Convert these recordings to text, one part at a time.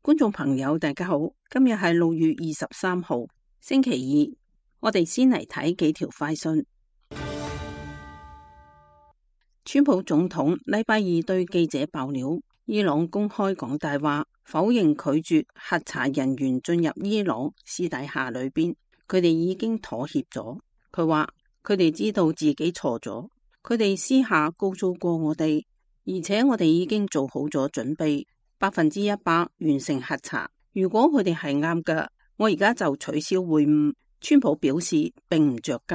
觀眾朋友大家好，今日係6月23號星期二，我哋先嚟睇幾條快訊。川普總統禮拜二對記者爆料，伊朗公開講大話，否認拒絕核查人員進入伊朗，私底下裏邊佢哋已經妥協咗。佢話佢哋知道自己錯咗，佢哋私下告訴過我哋，而且我哋已經做好咗準備，100%完成核查。如果佢哋係啱嘅，我而家就取消會晤。川普表示並唔着急，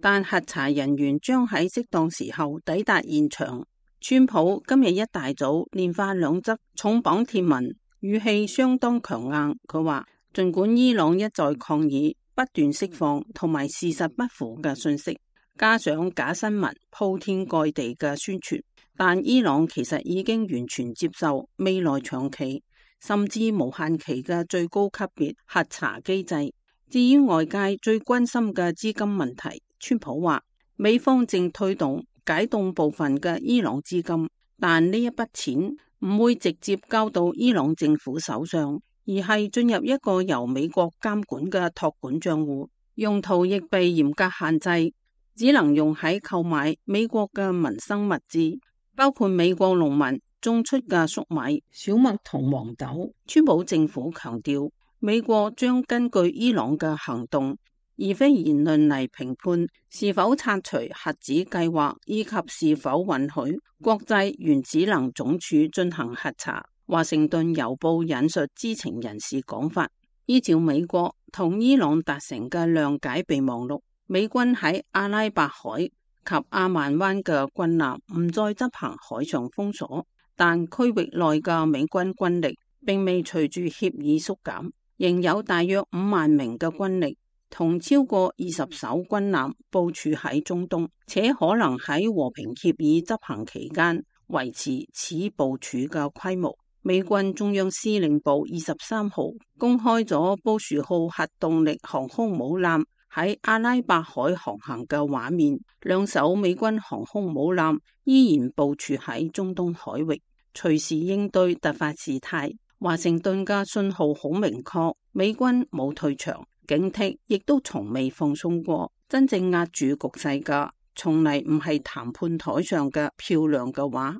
但核查人員將喺適當時候抵達現場。川普今日一大早連發2則重磅貼文，語氣相當強硬。佢話儘管伊朗一再抗議，不斷釋放同埋事實不符嘅信息，加上假新聞鋪天蓋地嘅宣傳，但伊朗其實已經完全接受未來長期甚至無限期嘅最高級別核查機制。至於外界最關心嘅資金問題，川普話美方正推動解凍部分嘅伊朗資金，但呢一筆錢唔會直接交到伊朗政府手上，而係進入一個由美國監管嘅託管賬戶，用途亦被嚴格限制，只能用喺購買美國嘅民生物資，包括美國農民種出嘅粟米、小麥同黃豆。川普政府強調，美國將根據伊朗嘅行動而非言論嚟評判是否拆除核子計劃，以及是否允許國際原子能總署進行核查。華盛頓郵報引述知情人士講法，依照美國同伊朗達成嘅諒解備忘錄，美軍喺阿拉伯海及阿曼灣嘅軍艦唔再執行海上封鎖，但區域內嘅美軍軍力並未隨住協議縮減，仍有大約5萬名嘅軍力同超過20艘軍艦部署喺中東，且可能喺和平協議執行期間維持此部署嘅規模。美軍中央司令部23號公開咗布殊號核動力航空母艦喺阿拉伯海航行嘅畫面，2艘美軍航空母艦依然部署喺中東海域，隨時應對突發事態。華盛頓嘅信號好明確，美軍冇退場，警惕亦都從未放鬆過。真正壓住局勢嘅，從嚟唔係談判台上嘅漂亮嘅話。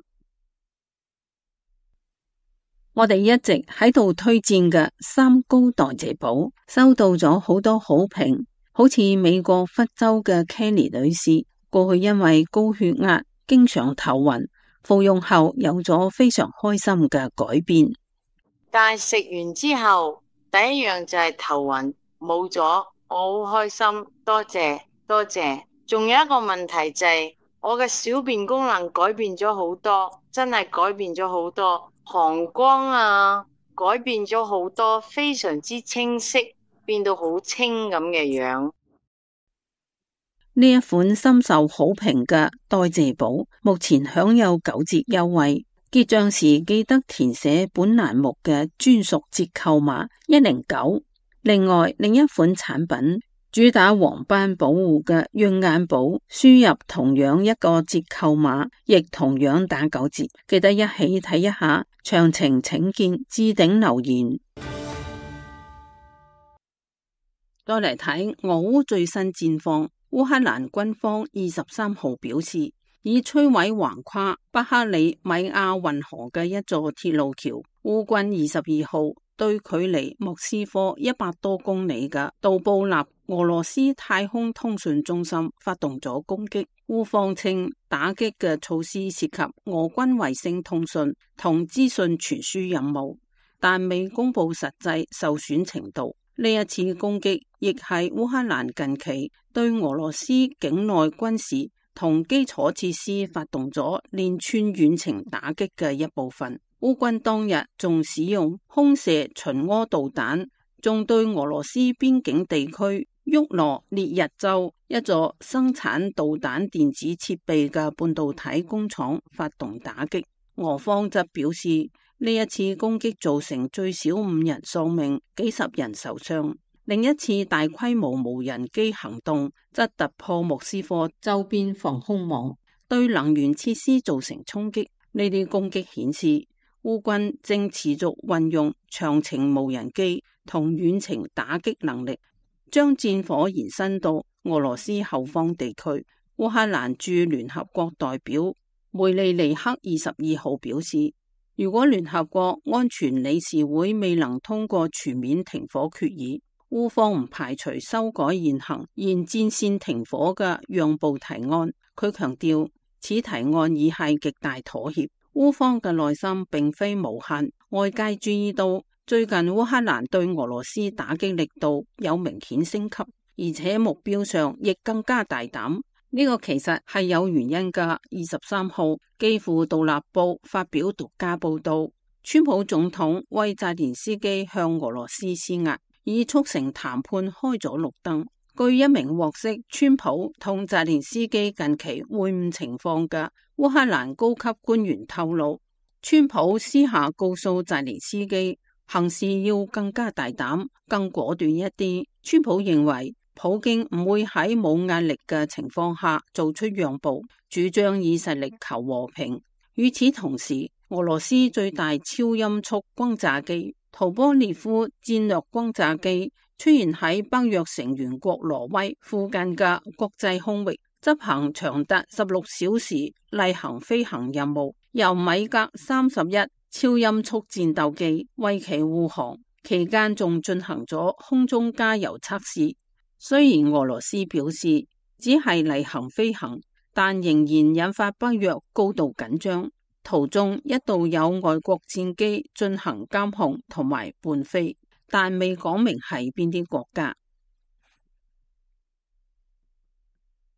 我哋一直喺度推薦嘅3高代謝寶收到咗好多好評，好似美國佛州嘅 Kelly 女士，過去因為高血壓經常頭暈，服用後有咗非常開心嘅改變。但係食完之後第一樣就係頭暈冇咗，我好開心，多謝多謝。仲有一個問題就係我嘅小便功能改變咗好多，真係改變咗好多，膀胱啊改變咗好多，非常之清晰，變到好清咁嘅樣。呢一款深受好評嘅代謝寶目前享有9折優惠，結賬時記得填寫本欄目嘅專屬折扣碼109。另外，另一款產品主打黃斑保護嘅潤眼寶，輸入同樣一個折扣碼，亦同樣打9折。記得一起睇一下，詳情請見置頂留言。再嚟睇俄烏最新戰況，烏克蘭軍方23號表示，已摧毀橫跨巴克里米亞運河嘅一座鐵路橋。烏軍22號對距離莫斯科100多公里嘅杜布納俄羅斯太空通訊中心發動咗攻擊。烏方稱打擊嘅措施涉及俄軍衛星通訊同資訊傳輸任務，但未公布實際受損程度。呢一次攻擊亦係烏克蘭近期對俄羅斯境內軍事同基礎設施發動咗連串遠程打擊嘅一部分。烏軍當日仲使用空射巡弋導彈，仲對俄羅斯邊境地區沃羅涅日州一座生產導彈電子設備嘅半導體工廠發動打擊。俄方則表示，呢一次攻擊造成最少5人喪命，幾十人受傷。另一次大規模無人機行動則突破莫斯科周邊防空網，對能源設施造成衝擊。呢啲攻擊顯示烏軍正持續運用長程無人機同遠程打擊能力，將戰火延伸到俄羅斯後方地區。烏克蘭駐聯合國代表梅利尼克22號表示，如果聯合國安全理事會未能通過全面停火決議，烏方唔排除修改現行沿戰線停火嘅讓步提案。佢強調，此提案已係極大妥協。烏方嘅內心並非無限，外界注意到最近烏克蘭對俄羅斯打擊力度有明顯升級，而且目標上亦更加大膽。呢個其實係有原因㗎。23號，基輔獨立報發表獨家報道，川普總統為澤連斯基向俄羅斯施壓，以促成談判開咗綠燈。據一名獲悉川普同澤連斯基近期會晤情況嘅烏克蘭高級官員透露，川普私下告訴澤連斯基行事要更加大膽、更果斷一啲。川普認為普京唔會喺冇壓力嘅情況下做出讓步，主張以實力求和平。與此同時，俄羅斯最大超音速轟炸機圖波列夫戰略轟炸機出現喺北約成員國挪威附近嘅國際空域，執行長達16小時例行飛行任務，由米格31超音速戰鬥機為其護航，期間仲進行咗空中加油測試。雖然俄羅斯表示只係例行飛行，但仍然引發北約高度緊張。途中一度有外國戰機進行監控同埋伴飛，但未講明係邊啲國家。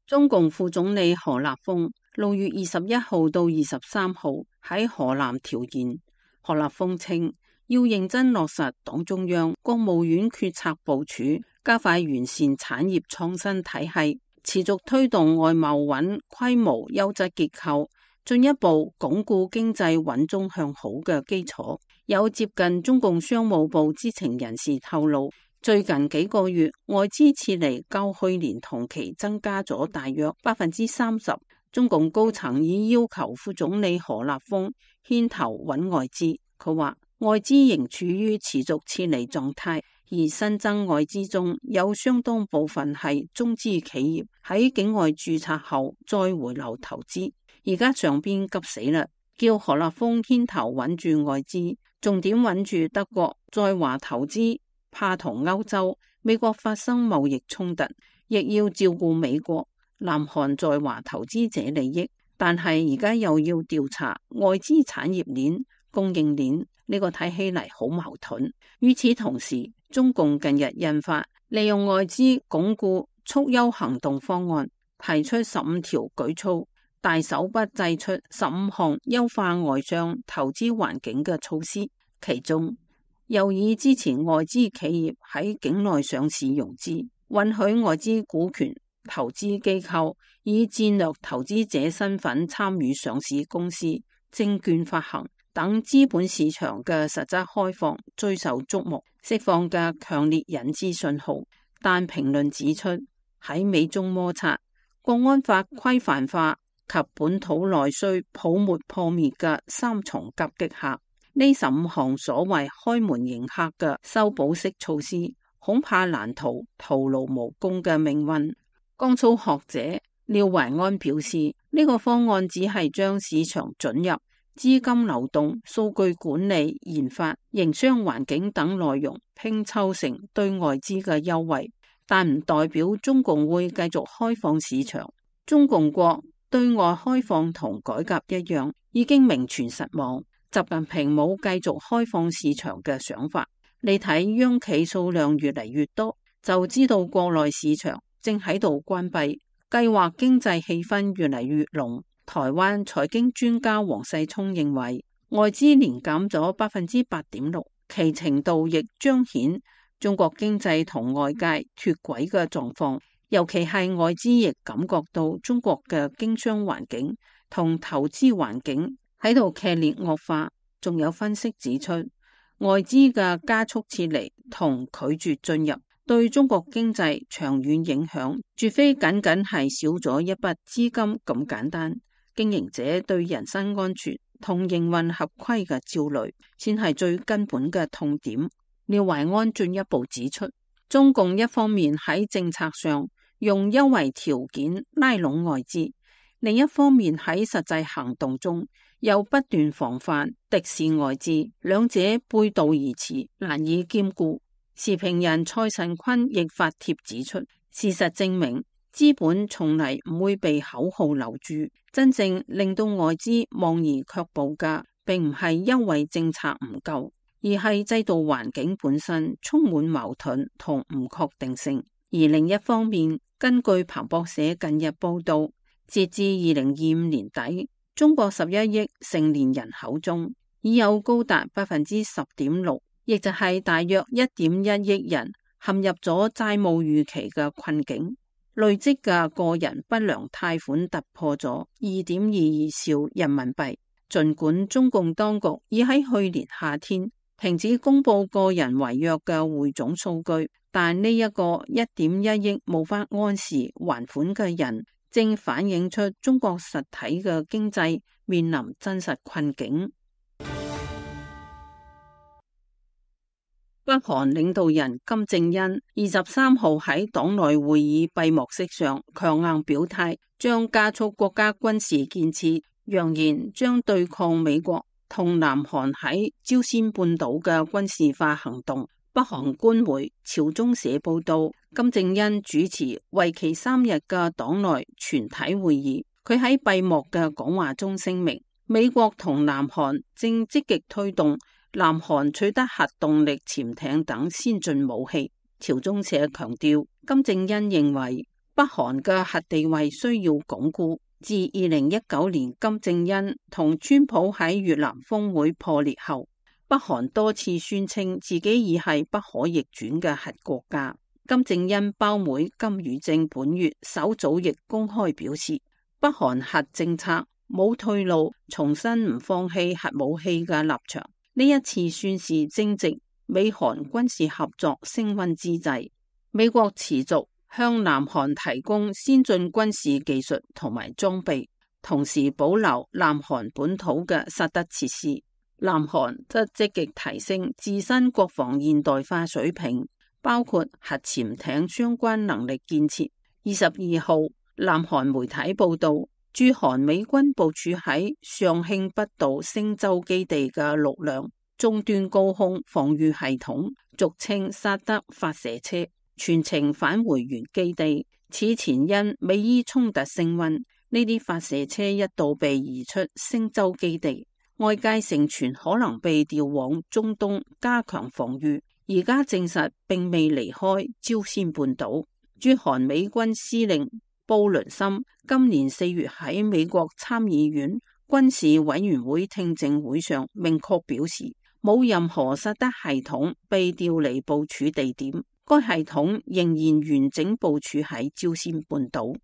中共副總理何立峰6月21號到23號喺河南調研。何立峰稱，要認真落實黨中央、國務院決策部署，加快完善產業創新體系，持續推動外貿穩規模優質結構，進一步鞏固經濟穩中向好嘅基礎。有接近中共商務部知情人士透露，最近幾個月外資撤離較去年同期增加咗大約30%。中共高層已要求副總理何立峰牽頭穩外資。佢話外資仍處於持續撤離狀態，而新增外資中有相當部分係中資企業喺境外註冊後再回流投資。而家上邊急死啦，叫何立峰牽頭穩住外資，重點穩住德國在華投資，怕同歐洲、美國發生貿易衝突，亦要照顧美國、南韓在華投資者利益。但係而家又要調查外資產業鏈、供應鏈，呢個睇起嚟好矛盾。與此同時，中共近日印發利用外資鞏固促優行動方案，提出15條舉措，大手筆祭出15項優化外商投資環境嘅措施，其中又以支持外資企業喺境內上市融資，允許外資股權投資機構以戰略投資者身份參與上市公司、證券發行等資本市場嘅實質開放最受矚目，釋放嘅強烈引資信號。但評論指出，喺美中摩擦、國安法規範化及本土內需泡沫破滅嘅三重夾擊下，呢15項所謂開門迎客嘅修補式措施，恐怕難逃徒勞無功嘅命運。江蘇學者廖懷安表示，呢個方案只係將市場准入、資金流動、數據管理、研發、營商環境等內容拼湊成對外資嘅優惠，但唔代表中共會繼續開放市場。中共國對外開放同改革一樣，已經名存實亡。習近平冇繼續開放市場嘅想法。你睇央企數量越嚟越多，就知道國內市場正喺度關閉，計劃經濟氣氛越嚟越濃。台灣財經專家黃世聰認為，外資年減咗8.6%，其程度亦彰顯中國經濟同外界脫軌嘅狀況，尤其係外資亦感覺到中國嘅經商環境同投資環境喺度劇烈惡化。仲有分析指出，外資嘅加速撤離同拒絕進入，對中國經濟長遠影響，絕非僅僅係少咗一筆資金咁簡單。經營者對人身安全同營運合規嘅焦慮，先係最根本嘅痛點。廖懷安進一步指出，中共一方面喺政策上用優惠條件拉攏外資，另一方面喺實際行動中又不斷防範敵視外資，兩者背道而馳，難以兼顧。時評人蔡慎坤亦發帖指出，事實證明資本從嚟唔會被口號留住，真正令到外資望而卻步嘅，並唔係優惠政策唔夠，而係制度環境本身充滿矛盾同唔確定性。而另一方面，根據彭博社近日報道，截至2025年底，中國11億成年人口中，已有高達10.6%，亦就係大約1.1億人陷入咗債務預期嘅困境，累積嘅個人不良貸款突破咗2.22兆人民幣。儘管中共當局已喺去年夏天停止公布個人違約嘅匯總數據，但呢一個1.1億無法按時還款嘅人，正反映出中國實體嘅經濟面臨真實困境。北韓領導人金正恩23號喺黨內會議閉幕式上強硬表態，將加速國家軍事建設，揚言將對抗美國同南韓喺朝鮮半島嘅軍事化行動。北韓官媒朝中社報道，金正恩主持為期3日嘅黨內全體會議，佢喺閉幕嘅講話中聲明，美國同南韓正積極推動南韓取得核動力潛艇等先進武器。朝中社強調，金正恩認為北韓嘅核地位需要鞏固。自2019年金正恩同川普喺越南峰會破裂後，北韓多次宣稱自己已係不可逆轉嘅核國家。金正恩胞妹金與正本月首早亦公開表示，北韓核政策冇退路，重申唔放棄核武器嘅立場。呢一次宣示正值美韓軍事合作升溫之際，美國持續向南韓提供先進軍事技術同埋裝備，同時保留南韓本土嘅實德設施。南韓則積極提升自身國防現代化水平，包括核潛艇相關能力建設。22號，南韓媒體報道，駐韓美軍部署喺上慶北道星洲基地嘅6輛終端高空防禦系統，俗稱薩德發射車，全程返回原基地。此前因美伊衝突升溫，呢啲發射車一度被移出星洲基地，外界盛傳可能被調往中東加強防禦，而家證實並未離開朝鮮半島。駐韓美軍司令布倫森今年4月喺美國參議院軍事委員會聽證會上明確表示，冇任何薩德系統被調離部署地點，該系統仍然完整部署喺朝鮮半島。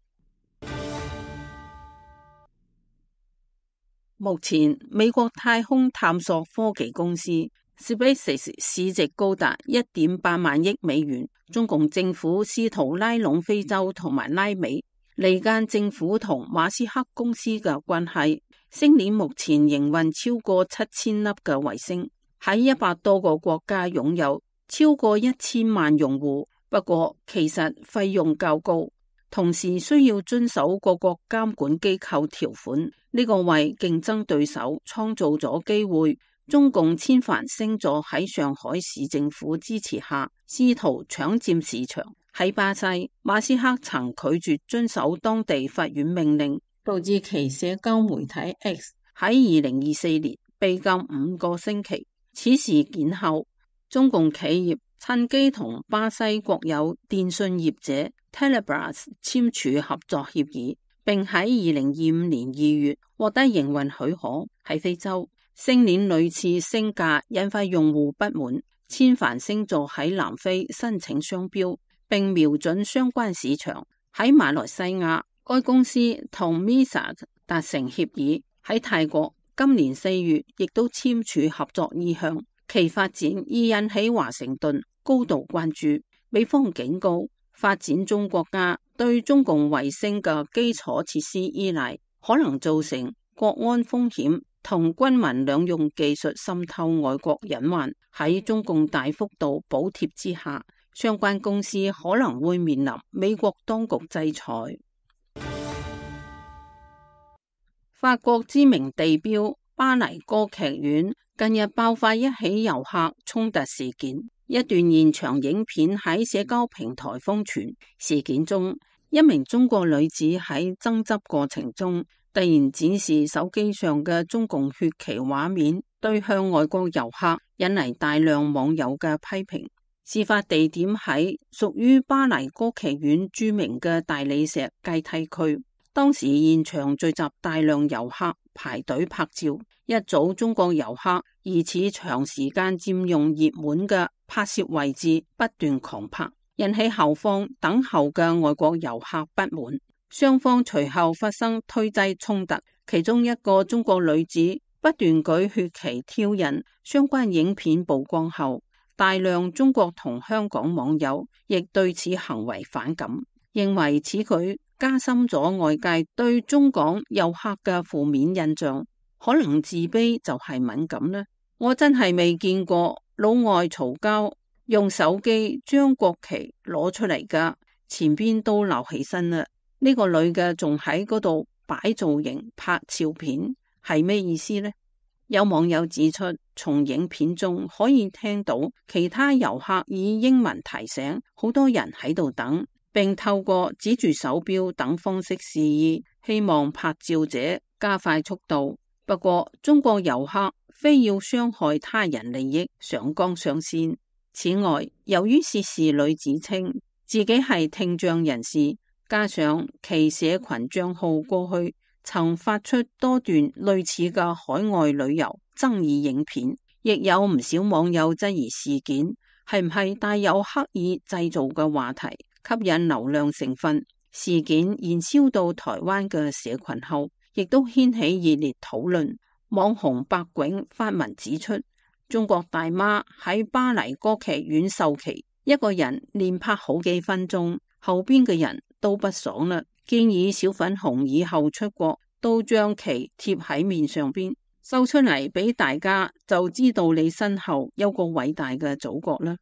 目前，美國太空探索科技公司 SpaceX 市值高達1.8萬億美元。中共政府試圖拉攏非洲同埋拉美，離間政府同馬斯克公司嘅關係。星鏈目前營運超過7000粒嘅衛星，喺100多個國家擁有超過1000萬用戶。不過，其實費用較高，同時需要遵守各國監管機構條款。呢個為競爭對手創造咗機會。中共千帆星座喺上海市政府支持下，試圖搶佔市場。喺巴西，馬斯克曾拒絕遵守當地法院命令，導致其社交媒體 X 喺2024年被禁5個星期。此事件後，中共企業趁機同巴西國有電信業者 Telebras 簽署合作協議，並喺2025年2月獲得營運許可。喺非洲，星鏈屢次升價引發用戶不滿，千帆星座喺南非申請商標，並瞄準相關市場。喺馬來西亞，該公司同 Misa 達成協議。喺泰國，今年4月亦都簽署合作意向，其發展已引起華盛頓高度關注。美方警告，發展中國家對中共衛星嘅基礎設施依賴，可能造成國安風險同軍民兩用技術滲透外國隱患，喺中共大幅度補貼之下，相關公司可能會面臨美國當局制裁。法國知名地標巴黎歌劇院近日爆發一起遊客衝突事件，一段現場影片喺社交平台瘋傳。事件中，一名中國女子喺爭執過程中突然展示手機上嘅中共血旗畫面，對向外國遊客引嚟大量網友嘅批評。事發地點喺屬於巴黎歌劇院著名嘅大理石階梯區。當時現場聚集大量遊客排隊拍照，一組中國遊客疑似長時間佔用熱門嘅拍攝位置，不斷狂拍，引起後方等候嘅外國遊客不滿，雙方隨後發生推擠衝突，其中一個中國女子不斷舉血旗挑釁。相關影片曝光後，大量中國同香港網友亦對此行為反感，認為此舉加深咗外界對中港遊客嘅負面印象。可能自卑就係敏感呢？我真係未見過老外嘈交用手機將國旗攞出嚟噶，前邊都鬧起身啦。呢個女嘅仲喺嗰度擺造型拍照片，係咩意思呢？有網友指出，從影片中可以聽到其他遊客以英文提醒好多人喺度等，並透過指住手錶等方式示意，希望拍照者加快速度。不過中國遊客非要傷害他人利益，上綱上線。此外，由於涉事女子稱自己係聽障人士，加上其社群賬號過去曾發出多段類似嘅海外旅遊爭議影片，亦有唔少網友質疑事件係唔係帶有刻意製造嘅話題，吸引流量成分。事件燃燒到台灣嘅社群後，亦都掀起熱烈討論。網紅白囧發文指出，中國大媽喺巴黎歌劇院售旗，一個人連拍好幾分鐘，後邊嘅人都不爽啦，建議小粉紅以後出國都將旗貼喺面上邊，秀出嚟俾大家，就知道你身後有個偉大嘅祖國啦。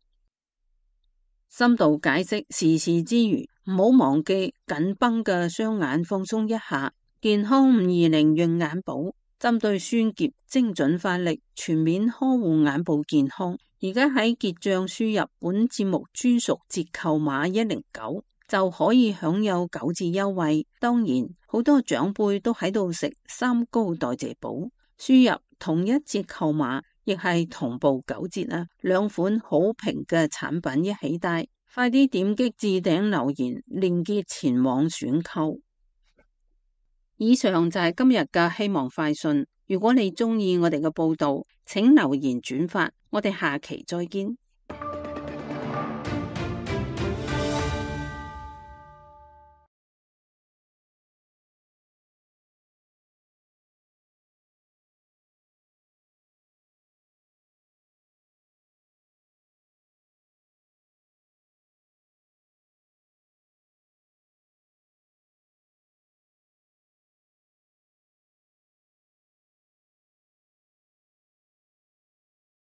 深度解釋時事之餘，唔好忘記緊繃嘅雙眼放鬆一下。健康520潤眼寶針對酸澀精準發力，全面呵護眼部健康。而家喺結賬輸入本節目專屬折扣碼109就可以享有9折優惠。當然，好多長輩都喺度食三高代謝寶，輸入同一折扣碼亦係同步9折啊！兩款好評嘅產品一起帶，快啲點擊置頂留言鏈接前往選購。以上就係今日嘅希望快訊。如果你鍾意我哋嘅報道，請留言轉發。我哋下期再見。